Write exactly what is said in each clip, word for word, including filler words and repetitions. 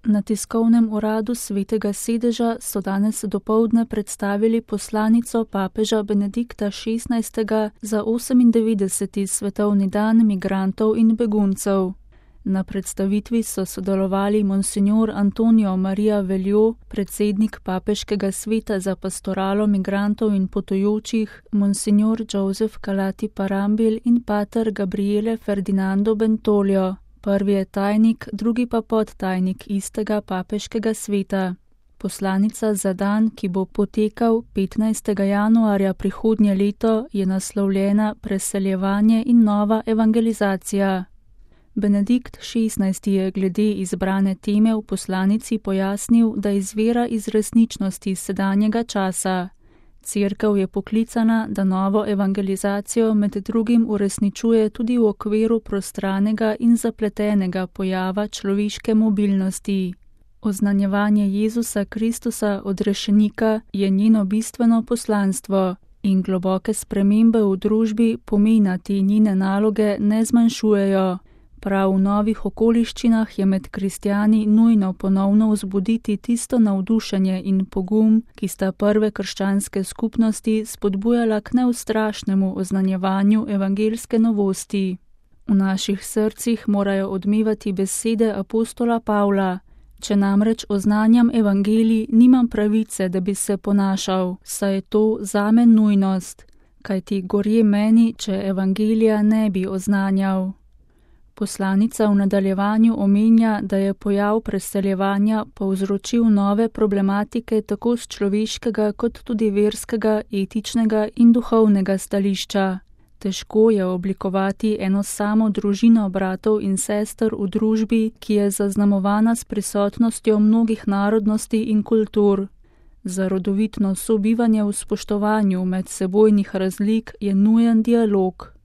Na tiskovnem uradu Svetega sedeža so danes dopoldne predstavili poslanico papeža Benedikta šestnajstega za osemindevetdeseti svetovni dan migrantov in beguncev. Na predstavitvi so sodelovali monsignor Antonio Maria Veljo, predsednik papeškega sveta za pastoralo migrantov in potujočih, monsignor Joseph Calati Parambil in pater Gabriele Ferdinando Bentolio. Prvi je tajnik, drugi pa podtajnik istega papeškega sveta. Poslanica za dan, ki bo potekal petnajstega januarja prihodnje leto, je naslovljena Preseljevanje in nova evangelizacija. Benedikt šestnajsti je glede izbrane teme v poslanici pojasnil, da izvira iz resničnosti sedanjega časa. Cerkev je poklicana, da novo evangelizacijo med drugim uresničuje tudi v okviru prostranega in zapletenega pojava človeške mobilnosti. Oznanjevanje Jezusa Kristusa odrešenika je njeno bistveno poslanstvo in globoke spremembe v družbi pomena te njene naloge ne zmanjšujejo. Prav v novih okoliščinah je med kristjani nujno ponovno vzbuditi tisto navdušenje in pogum, ki sta prve krščanske skupnosti spodbujala k neustrašnemu oznanjevanju evangelske novosti. V naših srcih morajo odmevati besede apostola Pavla: če namreč oznanjam evangelij, nimam pravice, da bi se ponašal, saj je to zame nujnost, kajti gorje meni, če evangelija ne bi oznanjal. Poslanica v nadaljevanju omenja, da je pojav preseljevanja povzročil nove problematike tako z človeškega kot tudi verskega, etičnega in duhovnega stališča. Težko je oblikovati eno samo družino bratov in sester v družbi, ki je zaznamovana s prisotnostjo mnogih narodnosti in kultur. Za rodovitno sobivanje v spoštovanju medsebojnih razlik je nujen dialog.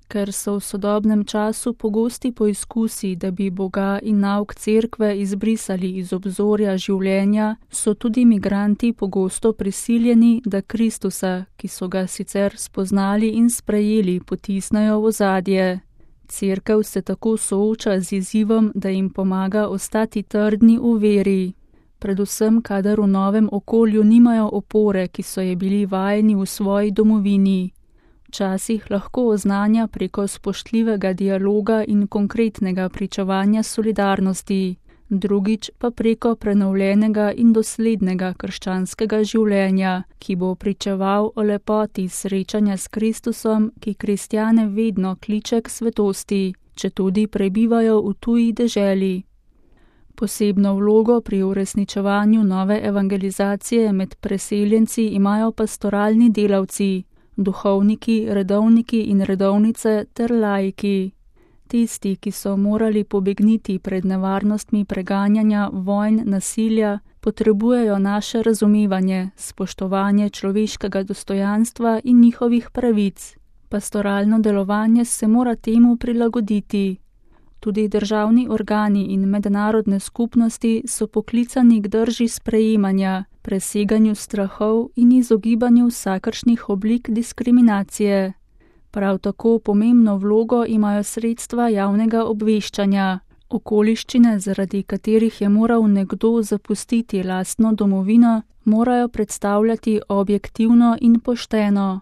Ker so v sodobnem času pogosti poizkusi, da bi Boga in nauk cerkve izbrisali iz obzorja življenja, so tudi migranti pogosto prisiljeni, da Kristusa, ki so ga sicer spoznali in sprejeli, potisnejo v ozadje. Cerkev se tako sooča z izzivom, da jim pomaga ostati trdni v veri. Predvsem, kadar v novem okolju nimajo opore, ki so je bili vajeni v svoji domovini. Včasih lahko oznanja preko spoštljivega dialoga in konkretnega pričevanja solidarnosti, drugič pa preko prenovljenega in doslednega krščanskega življenja, ki bo pričeval o lepoti srečanja s Kristusom, ki kristjane vedno kliče k svetosti, četudi prebivajo v tuji deželi. Posebno vlogo pri uresničevanju nove evangelizacije med preseljenci imajo pastoralni delavci, duhovniki, redovniki in redovnice ter laiki. Tisti, ki so morali pobegniti pred nevarnostmi preganjanja, vojn, nasilja, potrebujejo naše razumevanje, spoštovanje človeškega dostojanstva in njihovih pravic. Pastoralno delovanje se mora temu prilagoditi. Tudi državni organi in mednarodne skupnosti so poklicani k drži sprejemanja, preseganju strahov in izogibanju vsakršnih oblik diskriminacije. Prav tako pomembno vlogo imajo sredstva javnega obveščanja. Okoliščine, zaradi katerih je moral nekdo zapustiti lastno domovino, morajo predstavljati objektivno in pošteno.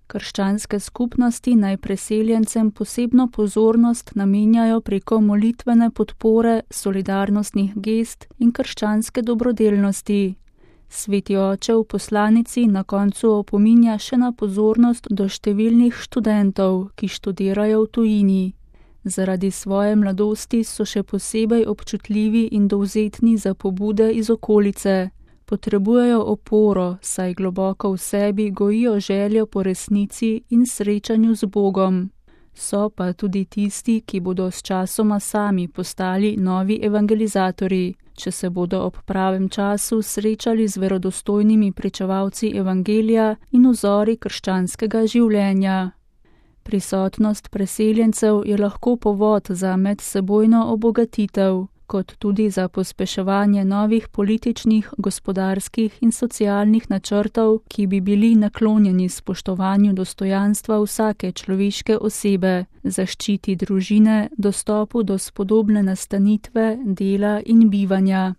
Krščanske skupnosti naj preseljencem posebno pozornost namenjajo preko molitvene podpore, solidarnostnih gest in krščanske dobrodelnosti. Sveti oče v poslanici na koncu opominja še na pozornost do številnih študentov, ki študirajo v tujini. Zaradi svoje mladosti so še posebej občutljivi in dovzetni za pobude iz okolice. Potrebujejo oporo, saj globoko v sebi gojijo željo po resnici in srečanju z Bogom. So pa tudi tisti, ki bodo s časoma sami postali novi evangelizatorji, če se bodo ob pravem času srečali z verodostojnimi pričevalci evangelija in vzori krščanskega življenja. Prisotnost preseljencev je lahko povod za medsebojno obogatitev, kot tudi za pospeševanje novih političnih, gospodarskih in socialnih načrtov, ki bi bili naklonjeni spoštovanju dostojanstva vsake človeške osebe, zaščiti družine, dostopu do spodobne nastanitve, dela in bivanja.